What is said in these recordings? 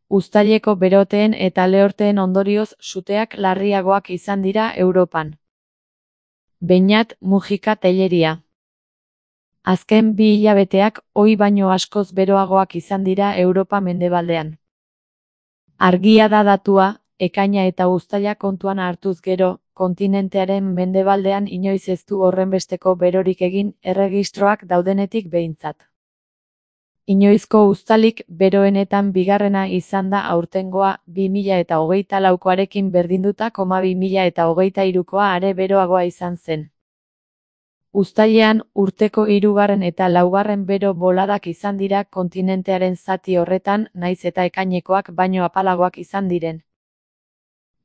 Uztaileko beroteen eta lehorteen ondorioz suteak larriagoak izan dira Europan. Beñat Mujika Tellería. Azken 2 hilabeteak ohi baino askoz beroagoak izan dira Europa mendebaldean. Argia da datua, ekaina eta uztaila kontuan hartuz gero, kontinentearen mendebaldean inoiz ez du horrenbesteko berorik egin erregistroak daudenetik behintzat. Inoizko uztailik beroenetan bigarrena izan da aurtengoa 2024koarekin berdinduta, 2023koa are beroagoa izan zen. Uztailean urteko 3. eta 4. bero boladak izan dira kontinentearen zati horretan, naiz eta ekainekoak baino apalagoak izan diren.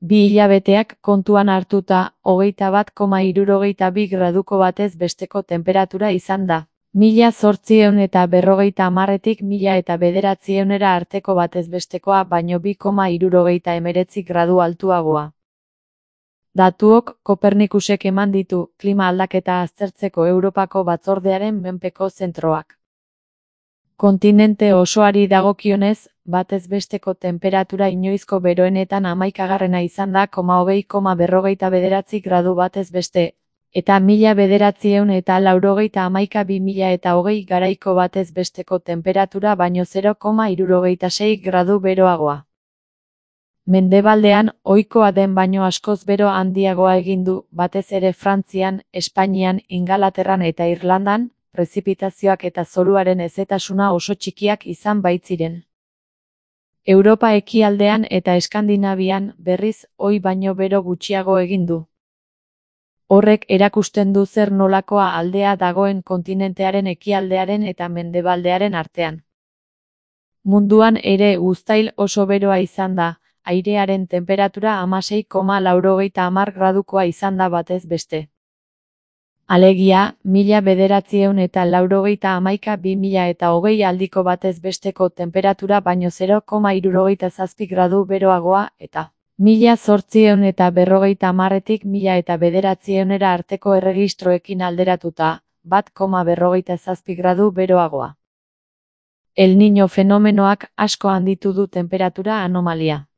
2 hilabeteak kontuan hartuta, 21,62 graduko batez besteko temperatura izan da. 1850etik 1900era arteko batez bestekoa baino 2,79 gradu altuagoa. Datuok Kopernikusek eman ditu, klima aldaketa aztertzeko Europako batzordearen menpeko zentroak. Kontinente osoari dagokionez, batez besteko temperatura inoizko beroenetan 11. izan da, 20,59 gradu batez beste, eta 1991-2020 garaiko batez besteko temperatura baino 0,76 gradu beroagoa. Mendebaldean, ohikoa den baino askoz bero handiagoa egin du, batez ere Frantzian, Espainian, Ingalaterran eta Irlandan, prezipitazioak eta zoruaren hezetasuna oso txikiak izan baitziren. Europa ekialdean eta Eskandinavian, berriz, ohi baino bero gutxiago egin du. Horrek erakusten du zer nolakoa aldea dagoen kontinentearen ekialdearen eta mendebaldearen artean. Munduan ere uztail oso beroa izan da, airearen temperatura 16,90 gradukoa izan da batez beste. Alegia, 1991-2020 aldiko batez besteko temperatura baino 0,67 gradu beroagoa, eta 1850etik 1900era arteko erregistroekin alderatuta, 1,47 gradu beroagoa. El Niño fenomenoak asko handitu du temperatura anomalia.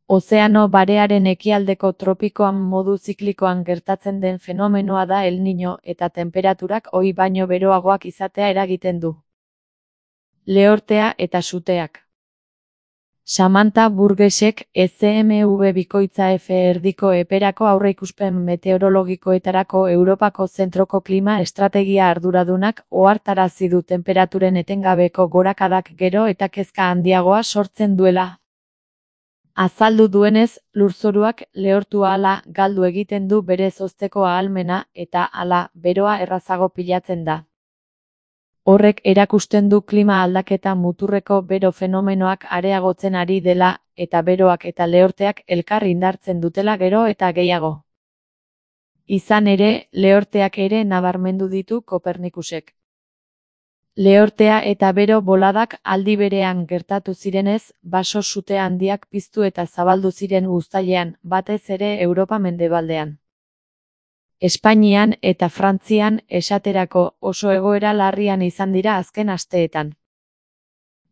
Ozeano Barearen ekialdeko tropikoan modu ziklikoan gertatzen den fenomenoa da El Niño, eta temperaturak ohi baino beroagoak izatea eragiten du. Lehortea eta suteak. Samantha Burgessek, ECMV bikoitza F erdiko eperako aurreikuspen meteorologikoetarako Europako zentroko klima estrategia arduradunak ohartarazi du temperaturen etengabeko gorakadak gero eta kezka handiagoa sortzen duela. Azaldu duenez, lurzoruak lehortu ahala galdu egiten du bere hozteko ahalmena eta hala beroa errazago pilatzen da. Horrek erakusten du klima aldaketa muturreko bero fenomenoak areagotzen ari dela, eta beroak eta lehorteak elkar indartzen dutela gero eta gehiago. Izan ere, lehorteak ere nabarmendu ditu Kopernikusek. Lehortea eta bero boladak aldi berean gertatu zirenez, baso sute handiak piztu eta zabaldu ziren uztailean, batez ere Europa mendebaldean. Espainian eta Frantzian, esaterako, oso egoera larrian izan dira azken asteetan.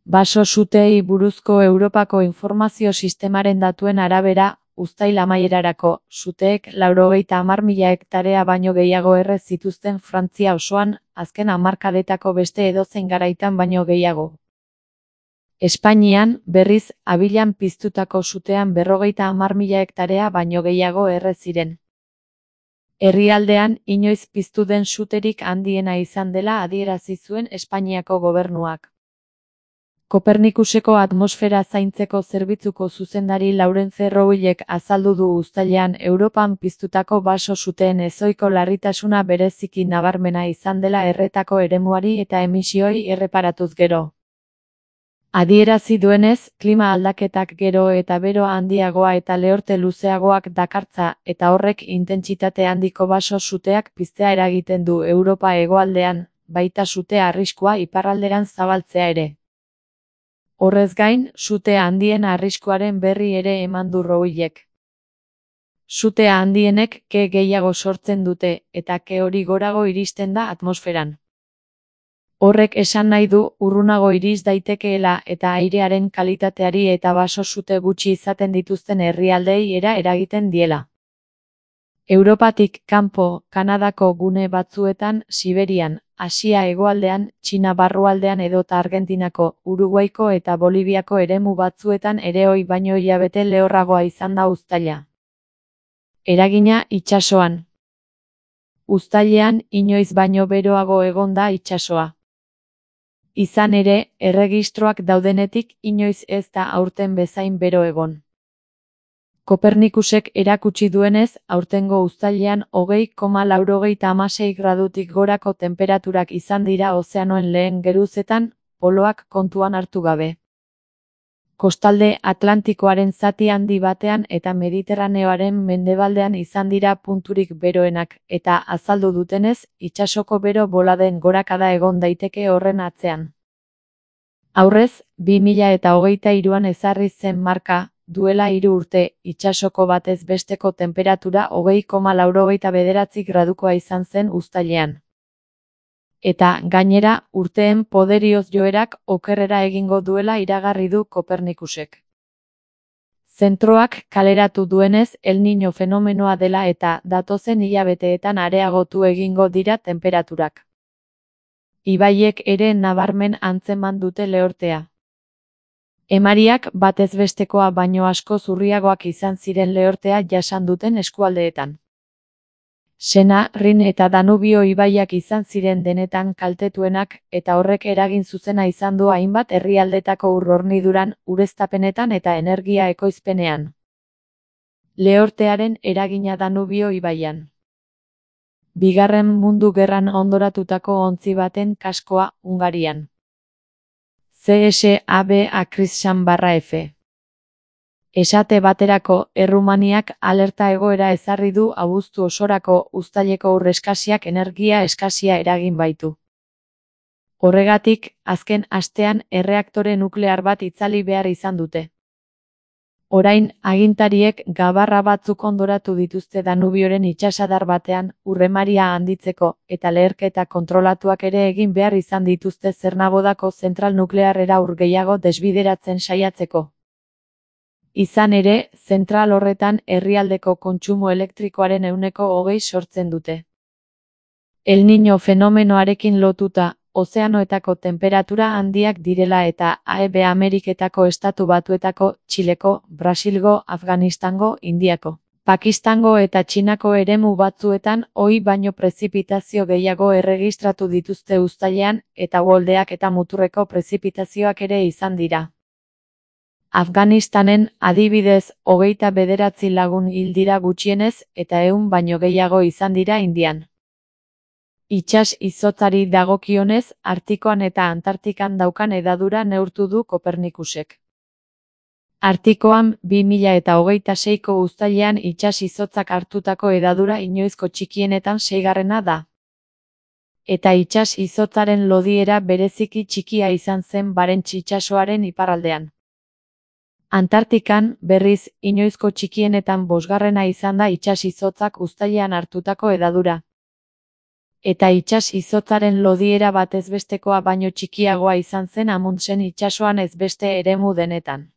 Baso suteei buruzko Europako informazio sistemaren datuen arabera, uztail amaierarako, suteek 90.000 hektarea baino gehiago erre zituzten Frantzia osoan, azken hamarkadetako beste edozein garaitan baino gehiago. Espainian, berriz, abilan piztutako sutean 50.000 hektarea baino gehiago erre ziren. Herrialdean, inoiz piztu den suterik handiena izan dela adierazi zuen Espainiako gobernuak. Kopernikuseko atmosfera zaintzeko zerbitzuko zuzendari Laurence Rouillek azaldu du uztailean Europan piztutako baso suteen ezohiko larritasuna bereziki nabarmena izan dela erretako eremuari eta emisioi erreparatuz gero. Adierazi duenez, klima aldaketak gero eta bero handiagoa eta lehorte luzeagoak dakartza, eta horrek intentsitate handiko baso suteak piztea eragiten du Europa hegoaldean, baita sute arriskua iparralderan zabaltzea ere. Horrez gain, sute handien arriskuaren berri ere eman du Rouillek. Sute handienek ke gehiago sortzen dute, eta ke hori gorago iristen da atmosferan. Horrek esan nahi du urrunago iris daitekeela eta airearen kalitateari eta baso-sute gutxi izaten dituzten herrialdeei eragiten diela. Europatik kanpo, Kanadako gune batzuetan, Siberian, Asia hegoaldean, Txina barrualdean edota Argentinako, Uruguaiko eta Boliviako eremu batzuetan ere ohi baino hilabete lehorragoa izan da uztaila. Eragina itsasoan. Uztailean inoiz baino beroago egon da itsasoa. Izan ere, erregistroak daudenetik inoiz ez da aurten bezain bero egon. Kopernikusek erakutsi duenez, aurtengo uztailean 20,96 gradutik gorako tenperaturak izan dira ozeanoen lehen geruzetan, poloak kontuan hartu gabe. Kostalde Atlantikoaren zati handi batean eta Mediterraneoaren mendebaldean izan dira punturik beroenak, eta azaldu dutenez, itsasoko bero boladen gorakada egon daiteke horren atzean. Aurrez, 2023an ezarri zen marka, duela 3 urte, itsasoko batez besteko tenperatura 20,99 gradukoa izan zen uztailean. Eta, gainera, urteen poderioz joerak okerrera egingo duela iragarri du Kopernikusek. Zentroak kaleratu duenez, El Niño fenomenoa dela eta datozen hilabeteetan areagotu egingo dira tenperaturak. Ibaiek ere nabarmen antzeman dute lehortea. Emariak batez bestekoa baino asko zurriagoak izan ziren lehortea jasan duten eskualdeetan. Sena, Rin eta Danubio ibaiak izan ziren denetan kaltetuenak, eta horrek eragin zuzena izan du hainbat herrialdetako ur-horniduran, ureztapenetan eta energia ekoizpenean. Lehortearen eragina Danubio ibaian. Bigarren Mundu Gerran hondoratutako ontzi baten kaskoa, Hungarian. CSAB-F. Esate baterako, Errumaniak alerta egoera ezarri du abuztu osorako uztaileko ur eskasiak energia eskasia eragin baitu. Horregatik, azken astean erreaktore nuklear bat itzali behar izan dute. Orain, agintariek gabarra batzuk hondoratu dituzte Danubioren itsasadar batean, ur-emaria handitzeko, eta leherketa kontrolatuak ere egin behar izan dituzte Zernabodako zentral nuklearrera ur gehiago desbideratzen saiatzeko. Izan ere, zentral horretan herrialdeko kontsumo elektrikoaren 20% sortzen dute. El Niño fenomenoarekin lotuta, ozeanoetako tenperatura handiak direla eta AEB Ameriketako Estatu Batuetako, Txileko, Brasilgo, Afganistango, Indiako, Pakistango eta Txinako eremu batzuetan ohi baino prezipitazio gehiago erregistratu dituzte uztailean, eta uholdeak eta muturreko prezipitazioak ere izan dira. Afganistanen, adibidez, 29 lagun hil dira gutxienez, eta 100 baino gehiago izan dira Indian. Itsas izotzari dagokionez, Artikoan eta Antartikan daukan hedadura neurtu du Kopernikusek. Artikoan, 2026ko uztailean itsas izotzak hartutako hedadura inoizko txikienetan 6. da. Eta itsas izotzaren lodiera bereziki txikia izan zen Barents itsasoaren iparraldean. Antartikan, berriz, inoizko txikienetan 5. izan da itsas izotzak uztailean hartutako hedadura. Eta itsas izotzaren lodiera batez bestekoa baino txikiagoa izan zen Amundsen itsasoan ez beste eremu denetan.